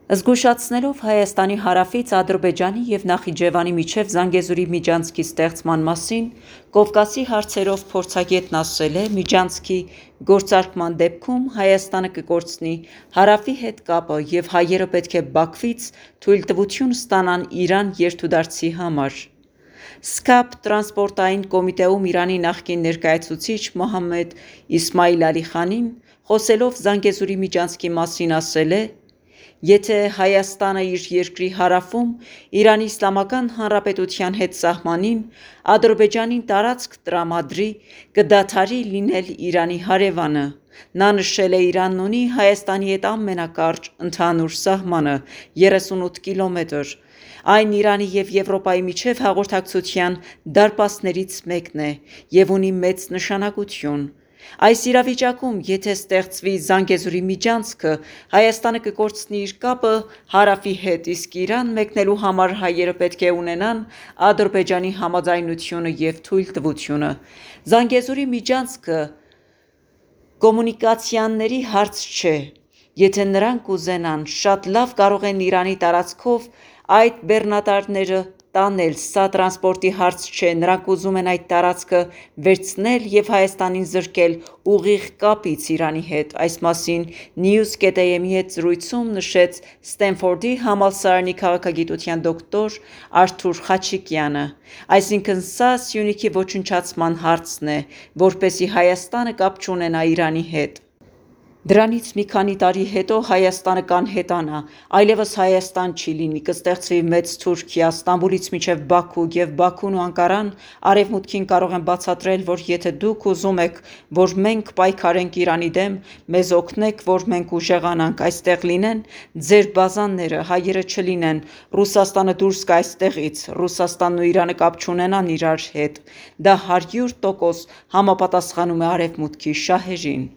Զգուշացնելով Հայաստանի հարավից Ադրբեջանի և Նախիջևանի միջև Զանգեզուրի միջանցքի ստեղծման մասին, Կովկասի հարցերով փորձագետն ասել է. «Միջանցքի գործարկման դեպքում Հայաստանը կկորցնի հարավի հետ կապը և հայերը պետք է Բաքվից թույլտվություն ստանան Իրան երթուդարձի համար»։ ՍՔԱՊ տրանսպորտային կոմիտեում Իրանի նախկին ներկայացուցիչ Մոհամմեդ Իսմայիլ Ալիխանին, խոսելով Զանգեզուրի միջանցքի մասին, ասել է. «Եթե Հայաստանը իր երկրի հարավում ԻԻՀ-ի հետ սահմանին Ադրբեջանին տարածք տրամադրի, կդադարի լինել Իրանի հարևանը»։ Նա նշել է. «Իրանն ունի Հայաստանի հետ ամենակարճ ընդհանուր սահմանը՝ 38 կիլոմետր։ Այն Իրանի և Եվրոպայի միջև հաղորդակցության դարպասներից մեկն է և ունի մեծ նշանակություն։ Այս իրավիճակում, եթե ստեղծվի Զանգեզուրի միջանցքը, Հայաստանը կկորցնի իր կապը հարավի հետ, իսկ Իրան մեկնելու համար հայերը պետք է ունենան Ադրբեջանի համաձայնությունը և թույլտվությունը։ Զանգեզուրի միջանցքը կոմունիկացիաների հարց չէ։ Եթե նրանք ուզենան, շատ լավ կարող են Իրանի տարածքով այդ բեռնատարները տանել, սա տրանսպորտի հարց չէ։ Նրանք ուզում են այդ տարածքը վերցնել և Հայաստանին զրկել ուղիղ կապից Իրանի հետ»։ Այս մասին News.am-ի հետ զրույցում նշեց Սթենֆորդի համալսարանի քաղաքագիտության դոկտոր Արթուր Խաչիկյանը։ Այսինքն՝ սա Սյունիքի ոչնչացման հարցն է, որպեսզի Հայաստանը կապ չունենա Իրանի հետ։ Դրանից մի քանի տարի հետո Հայաստանը կանհետանա, այլևս Հայաստան չի լինի, կստեղծվի մեծ Թուրքիա՝ Ստամբուլից մինչև Բաքու, և Բաքուն ու Անկարան Արևմուտքին կարող են բացատրել, որ եթե դուք ուզում եք, որ մենք պայքարենք Իրանի դեմ, մեզ օգնեք, որ մենք ուժեղանանք, այստեղ լինեն ձեր բազաները, հայերը չլինեն, Ռուսաստանը դուրս գա այստեղից, Ռուսաստանն ու Իրանը կապ չունենան իրար հետ։ Դա 100% համապատասխանում է Արևմուտքի շահերին։